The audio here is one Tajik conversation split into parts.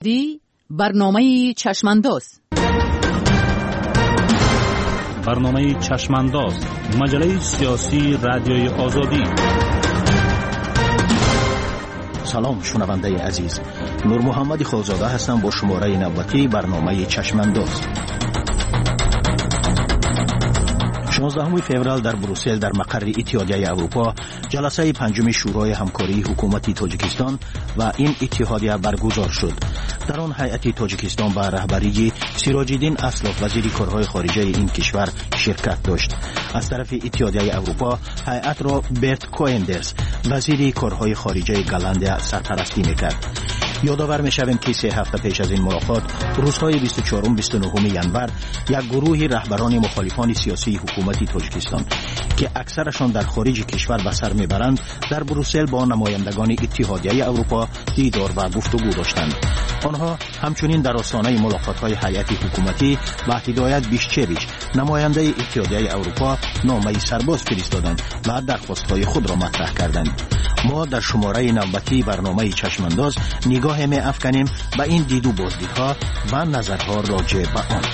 Ди барномаи Чашмандоз. Барномаи Чашмандоз, маҷаллаи сиёсии Радиои Озодӣ. Салом, шунавандаи азиз. Нурмуҳаммади Холзода ҳастам бо шумораи навбатии барномаи Чашмандоз. 16 феврал дар Брюссел, дар мақарри Иттиҳодияи Аврупо, ҷаласаи панҷуми Шӯрои ҳамкории ҳукумати Тоҷикистон ва ин иттиҳодия баргузор шуд. Дар он ҳайати Тоҷикистон ба раҳбарии Сироҷиддин Аслов, вазири корҳои хориҷаи ин кишвар, ширкат дошт. Аз тарафи Иттиҳодияи Аврупо ҳайатро Берт Коендерс, вазири корҳои хориҷаи Голландия, сарпарастӣ мекард. Ёдовар мешавем, ки 3 ҳафта пеш аз ин мулоқот, рӯзҳои 24-29 январ, як гурӯҳи раҳбарони мухолифони сиёсии ҳукумати Тоҷикистон, ки аксарашон дар хориҷи кишвар ба сар мебаранд, дар Брюссел бо намояндагони Иттиҳодияи Аврупо дидор ва гуфтугӯ доштанд. Онҳо ҳамчунин дар остонаи мулоқотҳои ҳайати ҳукуматӣ ба Ҳидоят Бишчевич, намояндаи Иттиҳодияи Аврупо, номаи сарбоз фиристоданд ва дархостҳои худро матраҳ карданд. Мо дар шумораи навбатии барномаи Чашмандоз нигоҳе меафканем ба ин диду боздидҳо ва назарҳо роҷеъ ба он.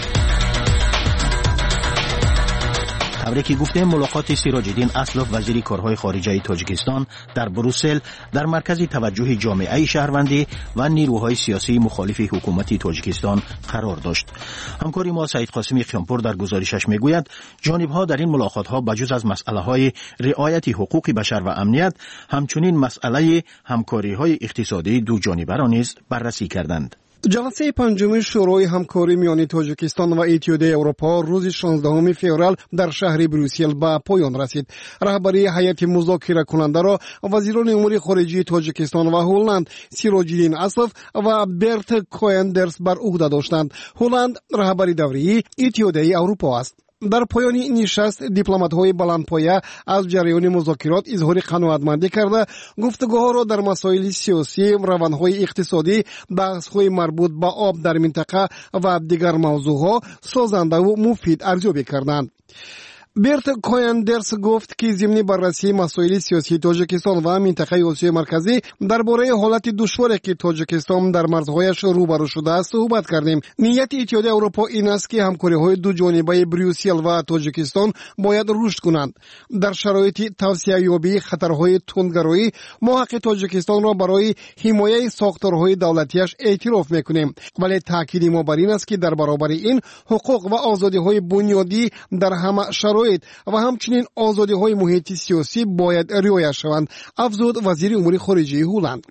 Тавре ки гуфтем, мулоқоти Сироҷиддин Аслов, вазири корҳои хориҷаи Тоҷикистон, дар Брюссел дар маркази таваҷҷӯҳи ҷомеаи шаҳрвандӣ ва нирӯҳои сиёсии мухолифи ҳукумати Тоҷикистон қарор дошт. Ҳамкори мо Саид Қосими Қиёмпур дар гузоришаш мегӯяд, ҷонибҳо дар ин мулоқотҳо ба ҷуз аз масъалаҳои риояти ҳуқуқи башар ва амният, ҳамчунин масъалаи ҳамкориҳои иқтисодии дуҷонибаро низ баррасӣ карданд. Ҷаласаи панҷуми Шӯрои ҳамкорӣ миёни Тоҷикистон ва Иттиҳодияи Аврупо рӯзи 16 феврал дар шаҳри Брюссел ба поён расид. Раҳбарии ҳайати музокиракунандаро вазирони умури хориҷии Тоҷикистон ва Ҳолланд Сироҷиддин Аслов ва Берт Коендерс бар уҳда доштанд. Ҳолланд раҳбари даврии Иттиҳодияи Аврупо аст. Дар поёни нишаст дипломатҳои баландпоя аз ҷараёни музокирот изҳори қаноатмандӣ карда, гуфтугӯҳоро дар масоили сиёсӣ, равандҳои иқтисодӣ, баҳсҳои марбут ба об дар минтақа ва дигар мавзӯъҳо созандаву муфид арзёбӣ карданд. Берт Кояндерс гуфт, ки зимни баррасии масоили сиёсии Тоҷикистон ва минтақаи Осиёи Марказӣ дар бораи ҳолати душворе, ки Тоҷикистон дар марзҳояш рӯбарӯ шудааст, суҳбат кардем. Нияти Иттиҳоди Аврупо ин аст, ки ҳамкориҳои дуҷонибаи Брюссел ва Тоҷикистон бояд рушд кунанд. Дар шароити тавсеаёбии хатарҳои тундгароӣ мо ҳаққи Тоҷикистонро барои ҳимояи сохторҳои давлатиаш эътироф мекунем, вале таъкиди мо бар ин аст, ки дар баробари ин ҳуқуқ ва озодиҳои бунёдӣ дар ҳама шароит ва ҳамчунин озодиҳои муҳити сиёсӣ бояд риоя шаванд, афзуд вазири умури хориҷии Ҳолланд.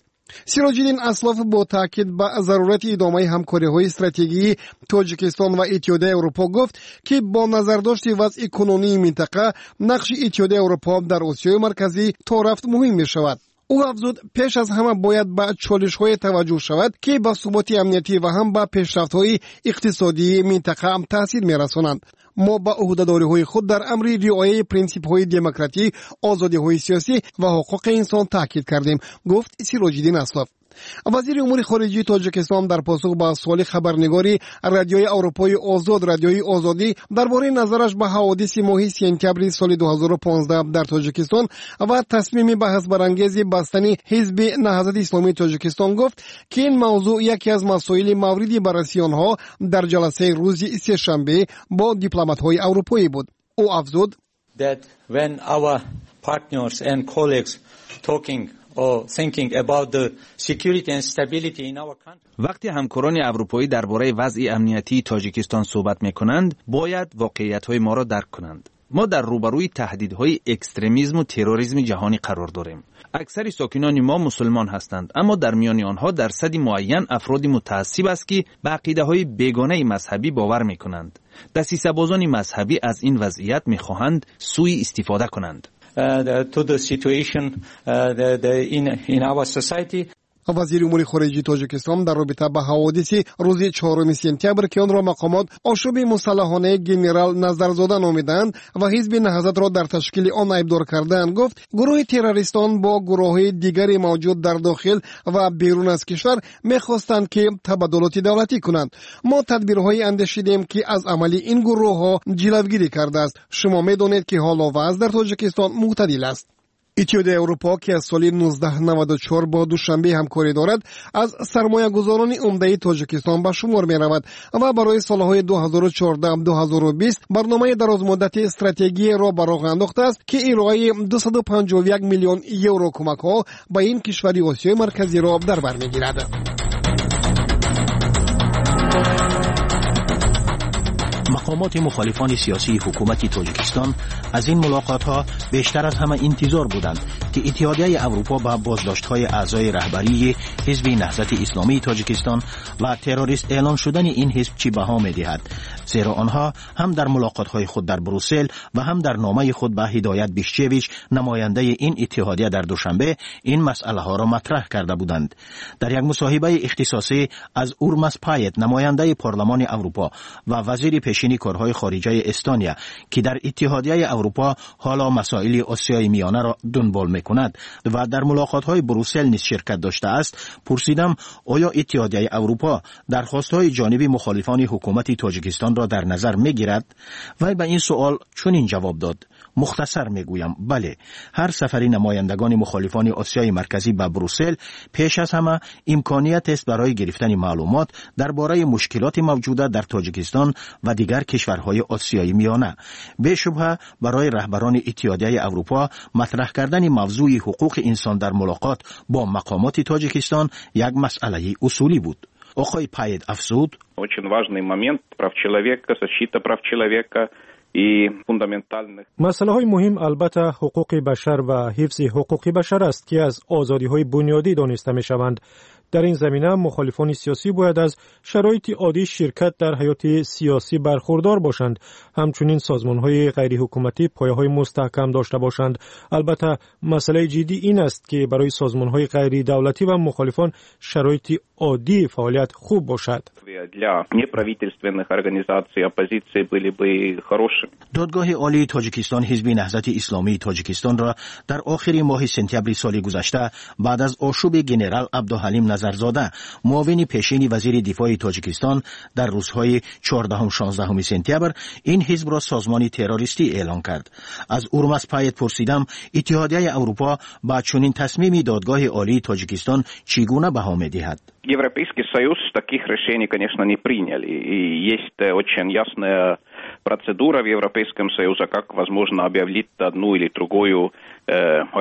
Сироҷиддин Аслов бо таъкид ба зарурати идомаи ҳамкориҳои стратегии Тоҷикистон ва Иттиҳодияи Аврупо гуфт, ки бо назардошти вазъи кунунии минтақа нақши Иттиҳодияи Аврупо дар Осиёи Марказӣ то рафт муҳим мешавад. Ӯ афзуд, пеш аз ҳама бояд ба чолишҳое таваҷҷӯҳ шавад, ки ба суботи амниятӣ ва ҳам ба пешрафтҳои иқтисодии минтақа таъсир мерасонанд. Мо ба ӯҳдадориҳои худ дар амри риояи принсипҳои демократӣ, озодиҳои сиёсӣ ва ҳуқуқи инсон таъкид кардем, гуфт Сироҷиддин Аслов. Вазири умури хориҷии Тоҷикистон дар посух ба суоли хабарнигори Радиои Аврупои Озод, Радиои Озодӣ, дар бораи назараш ба ҳаводиси моҳи сентябри соли 2015 дар Тоҷикистон ва тасмими баҳсбарангези бастани Ҳизби Наҳзати Исломии Тоҷикистон гуфт, ки ин мавзӯъ яке аз масоили мавриди баррасии онҳо дар ҷаласаи рӯзи сешанбе бо дипломатҳои аврупоӣ буд. Ӯ афзуд: That when our partners and colleagues talking or thinking about the security and stability in our country. Вақте ҳамкорони аврупоӣ дар бораи вазъи амниятии Тоҷикистон суҳбат мекунанд, бояд воқеиятҳои моро дарк кунанд. Мо дар рӯбарӯи таҳдидҳои экстремизму терроризми ҷаҳонӣ қарор дорем. Аксари сокинони мо мусулмон ҳастанд, аммо дар миёни онҳо дарсади муайян афроди мутаассиб аст, ки ба ақидаҳои бегонаи мазҳабӣ бовар мекунанд. Дасисабозони мазҳабӣ аз ин вазъият мехоҳанд сӯи истифода кунанд. To the situation in our society. Вазири умури хориҷии Тоҷикистон дар робита ба ҳаводиси рӯзи 4 сентябр, ки онро мақомот ошӯби мусаллаҳонаи генерал Назарзода номидаанд ва Ҳизби Наҳзатро дар ташкили он айбдор кардаанд, гуфт, гурӯҳи террористон бо гурӯҳҳои дигари мавҷуд дар дохил ва берун аз кишвар мехостанд, ки табаддулоти давлатӣ кунанд. Мо тадбирҳое андешидем, ки аз амали ин гурӯҳҳо ҷилавгирӣ кардааст. Шумо медонед, ки ҳоло вазъ дар Тоҷикистон мӯътадил аст. Иттиҳодияи Аврупо, ки аз соли 1994 бо Душанбе ҳамкорӣ дорад, аз сармоягузорони умдаи Тоҷикистон ба шумор меравад ва барои солҳои 2014-2020 барномаи дарозмуддати стратегияро ба роҳ андохтааст, ки ироаи 251 миллион евро кӯмакҳо ба ин кишвари Осиёи Марказиро дар бар мегирад. Мақомоти мухолифони сиёсии ҳукумати Тоҷикистон аз ин мулоқотҳо бештар аз ҳама интизор буданд, ки Иттиҳодияи Аврупо ба боздоштҳои аъзои раҳбарии Ҳизби Наҳзати Исломии Тоҷикистон ва террорист эълон шудани ин ҳизб чӣ баҳо медиҳад, зеро онҳо ҳам дар мулоқотҳои худ дар Брюссел ва ҳам дар номаи худ ба Ҳидоят Бишчевич, намояндаи ин иттиҳодия дар Душанбе, ин масъалаҳоро матраҳ карда буданд. Дар як мусоҳибаи ихтисосӣ аз Урмас Пает, намояндаи Парлумони Аврупо ва вазири пешини корҳои хориҷаи Эстония, ки дар Иттиҳодияи Аврупо ҳоло масоили Осиёи Миёнаро дунбол мекунад ва дар мулоқотҳои Брюссел низ ширкат доштааст, пурсидам, оё Иттиҳодияи Аврупо дархостҳои ҷониби мухолифони ҳукумати Тоҷикистонро дар назар мегирад? Вай ба ин суол чунин ҷавоб дод: мухтасар мегӯям, бале, ҳар сафари намояндагони мухолифони Осиёи Марказӣ ба Брюссел пеш аз ҳама имкониятест барои гирифтани маълумот дар бораи мушкилоти мавҷуда дар Тоҷикистон ва дигар кишварҳои Осиёи Миёна. Бешубҳа, барои раҳбарони Иттиҳодияи Аврупо матраҳ кардани мавзӯи ҳуқуқи инсон дар мулоқот бо мақомоти Тоҷикистон як масъалаи усулӣ буд. Оқои Пайет афзуд: Очень важный момент прав человека, защита прав человека и фундаментальных. Масъалаҳои муҳим албатта ҳуқуқи башар ва ҳифзи ҳуқуқи башар аст, ки аз озодиҳои бунёдӣ дониста мешаванд. Дар ин замина мухолифони сиёсӣ бояд аз шароити оддии ширкат дар ҳаёти сиёсӣ бархурдор бошанд. Ҳамчунин созмонҳои ғайриҳукуматӣ пояҳои мустаҳкам дошта бошанд. Албатта, масъалаи ҷиддӣ ин аст, ки барои созмонҳои ғайридавлатӣ ва мухолифон шароити оддии фаъолият хуб бошад. Для неправительственных организаций оппозиции были бы хорошими. Додгоҳи Олии Тоҷикистон Ҳизби Наҳзати Исломии Тоҷикистонро дар охири моҳи сентябри соли гузашта баъд аз ошӯби генерал Абдуҳалим Назарзода, муовини пешини вазири дифои Тоҷикистон, дар рӯзҳои 14-16 сентябр ин ҳизбро созмони террористӣ эълон кард. Аз Урмас Пайет пурсидам, Иттиҳодияи Аврупо ба чунин тасмими Додгоҳи Олии Тоҷикистон чӣ гуна баҳо медиҳад? Европейский Союз таких решений, конечно, не приняли. И есть очень ясная процедура в Европейском Союзе, как возможно объявить одну или другую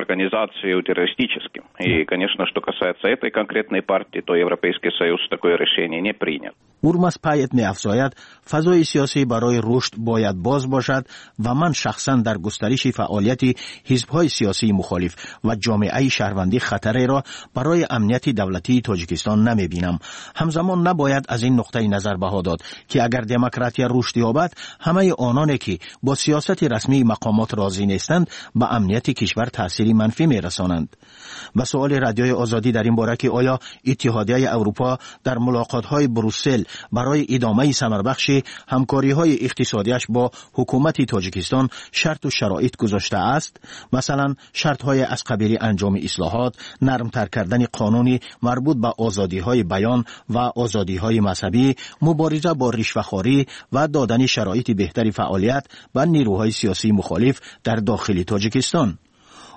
организацию террористическим. И, конечно, что касается этой конкретной партии, то Европейский Союз такое решение не принял. Урмас Пайет меафзояд, фазои сиёсӣ барои рушд бояд боз бошад ва ман шахсан дар густариши фаъолияти ҳизбҳои сиёсии мухолиф ва ҷомеаи шаҳрвандӣ хатареро барои амнияти давлатии Тоҷикистон намебинам. Ҳамзамон набояд аз ин нуқтаи назар баҳо дод, ки агар демократия рушд ёбад, ҳамаи ононе ки бо сиёсати расмии мақомот розӣ нестанд, ба амнияти кишвар таъсири манфӣ мерасонанд. Ба суоли Радиои Озодӣ дар ин бора, ки оё Иттиҳодияи Аврупо дар мулоқотҳои Брюссел барои идомаи самарбахши ҳамкориҳои иқтисодиаш бо ҳукумати Тоҷикистон шарту шароит гузоштааст, масалан, шартҳое аз қабили анҷоми ислоҳот, нармтар кардани қонуни марбут ба озодиҳои баён ва озодиҳои мазҳабӣ, мубориза бо ришвахорӣ ва додани шароити беҳтари фаъолият ба нерӯҳои сиёсии мухолиф дар дохили Тоҷикистон,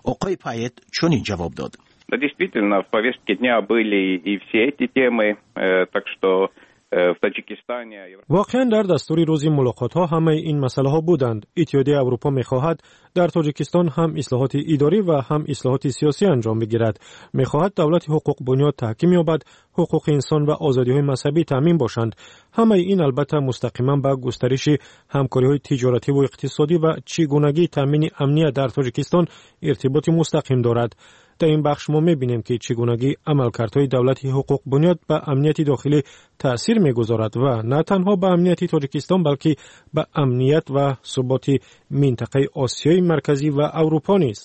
оқои Пайет чунин ҷавоб дод: Да, действительно, в повестке дня были и все эти темы, так что в Таджикистане. Воқеан, дар дастури рӯзи мулоқотҳо ҳамаи ин масъалаҳо буданд. Иттиҳодияи Аврупо мехоҳад дар Тоҷикистон ҳам ислоҳоти идорӣ ва ҳам ислоҳоти сиёсӣ анҷом бигирад. Мехоҳад давлати ҳуқуқбунёд таҳким ёбад, ҳуқуқи инсон ва озодиҳои мазҳабӣ таъмин бошанд. Ҳамаи ин албатта мустақиман ба густариши ҳамкориҳои тиҷоративу иқтисодӣ ва чӣ гунагии таъмини амният дар Тоҷикистон иртиботи мустақим дорад. Дар ин бахш мо мебинем, ки чӣ гунагии амалкардҳои давлати ҳуқуқбунёд ба амнияти дохилӣ таъсир мегузорад ва на танҳо ба амнияти Тоҷикистон, балки ба амният ва суботи минтақаи Осиёи Марказӣ ва Аврупо низ.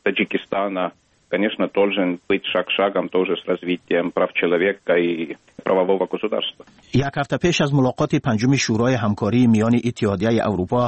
Таджикистана, конечно, должен быть шаг шагом тоже с развитием прав человека и правового государства. Як ҳафта пеш аз мулоқоти панҷуми Шӯрои ҳамкории миёни Иттиҳодияи Аврупо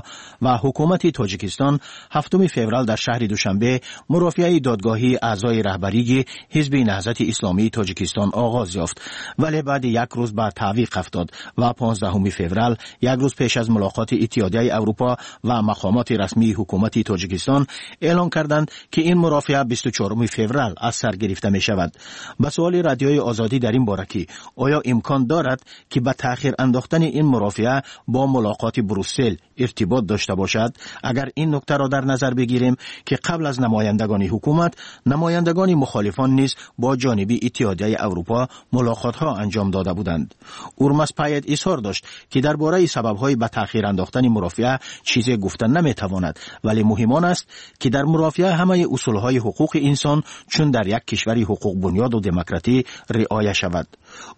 ва ҳукумати Тоҷикистон, 7 феврал дар шаҳри Душанбе мурофиаи додгоҳии аъзои раҳбарии Ҳизби Наҳзати Исломии Тоҷикистон оғоз ёфт, вале баъди як рӯз ба таъвиқ афтод ва 15 феврал, як рӯз пеш аз мулоқоти Иттиҳодияи Аврупо ва мақомоти расмии ҳукумати Тоҷикистон эълон карданд, ки ин мурофиа 24 феврал аз сар гирифта мешавад. Ба суоли Радиои Озодӣ дар ин бора, ки оё имкон дорад, ки ба таъхир андохтани ин мурофиа бо мулоқоти Брюссел иртибот дошта бошад, агар ин нуктаро дар назар бигирем, ки қабл аз намояндагони ҳукумат намояндагони мухолифон низ бо ҷониби Иттиҳодияи Аврупо мулоқотҳо анҷом дода буданд, Урмас Пайет изҳор дошт, ки дар бораи сабабҳои ба таъхир андохтани мурофиа чизе гуфта наметавонад, вале муҳим он аст, ки дар мурофиа ҳамаи усулҳои ҳуқуқи инсон, чун дар як кишвари ҳуқуқбунёду демократӣ, риоя шавад.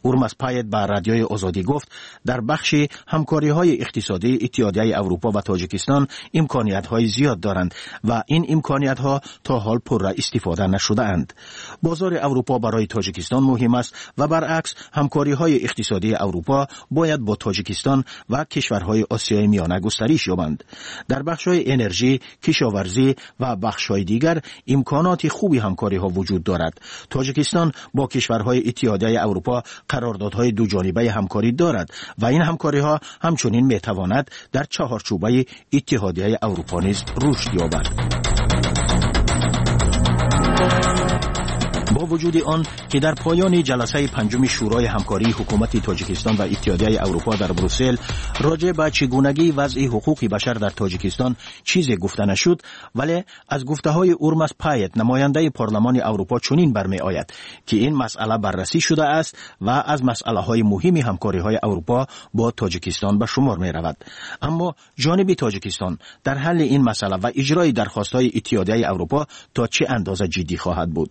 Урмас Пайет ба Радиои Озодӣ гуфт, дар бахши ҳамкориҳои иқтисодии Иттиҳодияи Аврупо ва Тоҷикистон имкониятҳои зиёд доранд ва ин имкониятҳо то ҳол пурра истифода нашудаанд. Бозори Аврупо барои Тоҷикистон муҳим аст ва баръакс, ҳамкориҳои иқтисодии Аврупо бояд бо Тоҷикистон ва кишварҳои Осиёи Миёна густариш ёбанд. Дар бахшҳои энержӣ, кишоварзӣ ва бахшҳои дигар имконоти хуби ҳамкориҳо вуҷуд дорад. Тоҷикистон бо кишварҳои Иттиҳодияи Аврупо қарордодҳои дуҷонибаи ҳамкорӣ дорад ва ин ҳамкориҳо ҳамчунин метавонад дар чаҳорчӯбаи Иттиҳодияи Аврупо низ рушд ёбад. Бо вуҷуди он ки дар поёни ҷаласаи панҷуми Шӯрои ҳамкории ҳукумати Тоҷикистон ва Иттиҳодияи Аврупо дар Брюссел роҷеъ ба чигунагии вазъи ҳуқуқи башар дар Тоҷикистон чизе гуфта нашуд, вале аз гуфтаҳои Урмас Пайет, намояндаи Парлумони Аврупо, чунин бармеояд, ки ин масъала баррасӣ шудааст ва аз масъалаҳои муҳими ҳамкориҳои Аврупо бо Тоҷикистон ба шумор меравад. Аммо ҷониби Тоҷикистон дар ҳалли ин масъала ва иҷрои дархостҳои Иттиҳодияи Аврупо то чӣ андоза ҷиддӣ хоҳад буд?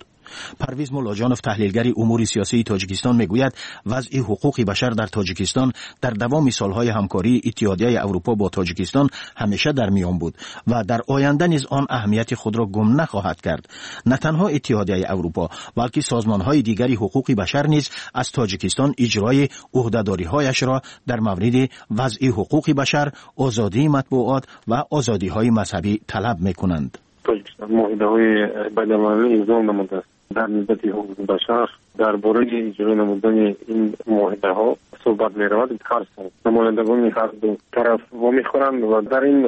Парвиз Муллоҷонов, таҳлилгари умури сиёсии Тоҷикистон, мегӯяд, вазъи ҳуқуқи башар дар Тоҷикистон дар давоми солҳои ҳамкории Иттиҳодияи Аврупо бо Тоҷикистон ҳамеша дар миён буд ва дар оянда низ он аҳамияти худро гум нахоҳад кард. На танҳо Иттиҳодияи Аврупо, балки созмонҳои дигари ҳуқуқи башар низ аз Тоҷикистон иҷрои ӯҳдадориҳояшро дар мавриди вазъи ҳуқуқи башар, озодии матбуот ва озодиҳои мазҳабӣ талаб мекунанд. Тоҷикистон муоҳидаҳои байналмилалӣ имзо намудааст дар нисбати ҳуқуқи башар. Дар бораи иҷро намудани ин муоҳидаҳо суҳбат меравад. Ҳар сол намояндагони ҳар ду тараф вомехӯранд ва дар ин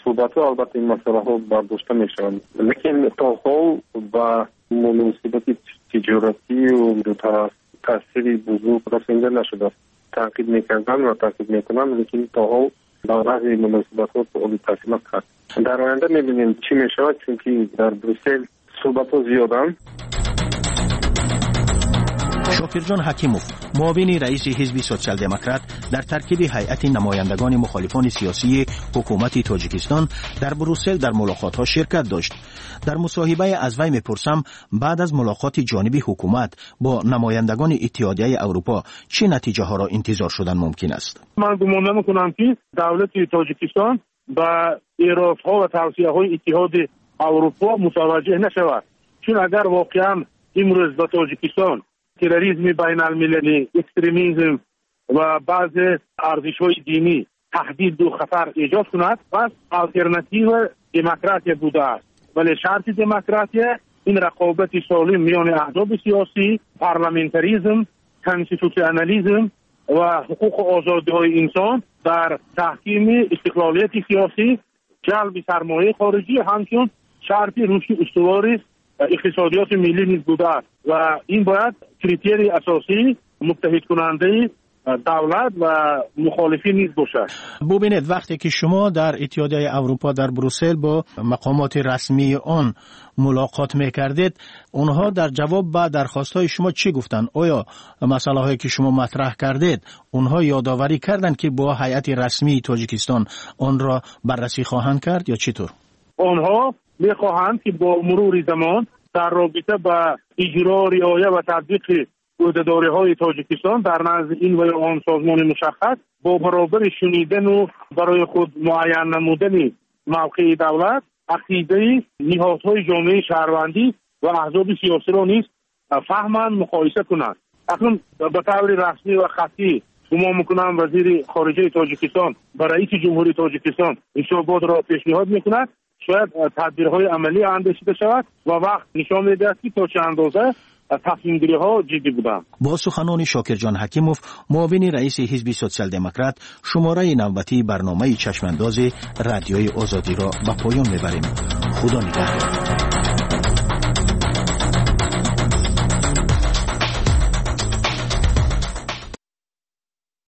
суҳбатҳо албатта ин масъалаҳо бардошта мешаванд, лекин то ҳол ба муносибати тиҷоратию дутараф таъсири бузург расонида нашудааст. Таъқиб мекарданд ва таъқиб мекунанд, лекин то ҳол ба баъзе муносибатҳо таъсир накард. Дар оянда мебинем, чӣ мешавад, чунки дар Брюссел суҳбатҳо зиёданд. Шокирҷон Ҳакимов, муовини раиси Ҳизби Социал-Демократ дар таркиби ҳайати намояндагони мухолифони сиёсии ҳукумати Тоҷикистон дар Брюссел дар мулоқотҳо ширкат дошт. Дар мусоҳибае аз вай мепурсам, баъд аз мулоқоти ҷониби ҳукумат бо намояндагони Иттиҳодияи Аврупо чӣ натиҷаҳоро интизор шудан мумкин аст? Ман гумон намекунам, ки давлати Тоҷикистон ба эродҳо ва тавсияҳои Иттиҳоди Аврупо мутаваҷҷеҳ нашавад, чун агар воқеан имрӯз ба Тоҷикистон терроризми байналмилалӣ, экстремизм ва баъзе арзишҳои динӣ таҳдиду хатар эҷод кунад, пас алтернатива демократия будааст. Вале шарти демократия ин рақобати солим миёни аҳзоби сиёсӣ, парламентаризм, конститутсионализм ва ҳуқуқу озодиҳои инсон дар таҳкими истиқлолияти сиёсӣ, ҷалби сармояи хориҷӣ ҳамчун шарти рушди устувори иқтисодиёти миллӣ низ будааст ва ин бояд критерии асосии муттаҳидкунандаи давлат ва мухолифин низ бошад. Бубинед, вақте ки шумо дар Иттиҳодияи Аврупо дар Брюссел бо мақомоти расмии он мулоқот мекардед, онҳо дар ҷавоб ба дархостҳои шумо чӣ гуфтанд? Оё масъалаҳое ки шумо матраҳ кардед, онҳо ёдоварӣ карданд, ки бо ҳайати расмии Тоҷикистон онро баррасӣ хоҳанд кард ё чӣ тур? Онҳо мехоҳанд, ки бо мурури замон дар робита ба иҷро, риоя ва татбиқи ӯҳдадориҳои Тоҷикистон дар назди ин ва ё он созмони мушаххас, бо баробари шунидану барои худ муайян намудани мавқеи давлат, ақидаи ниҳодҳои ҷомеаи шаҳрвандӣ ва аҳзоби сиёсиро низ фаҳманд, муқоиса кунанд. Акнун ба таври расмӣ ва хаттӣ гумон мекунам вазири хориҷаи Тоҷикистон ба раиси ҷумҳурии Тоҷикистон ҳисоботро пешниҳод мекунад. Шояд тадбирҳои амалӣ андешида шавад ва вақт нишон медиҳад, ки то чӣ андоза тасмимгириҳо ҷиддӣ буданд. Бо суханони Шокирҷон Ҳакимов, муовини раиси Ҳизби Социал-Демократ, шумораи навбатии барномаи Чашмандози Радиои Озодиро ба поён мебарем. Худо нигаҳдор.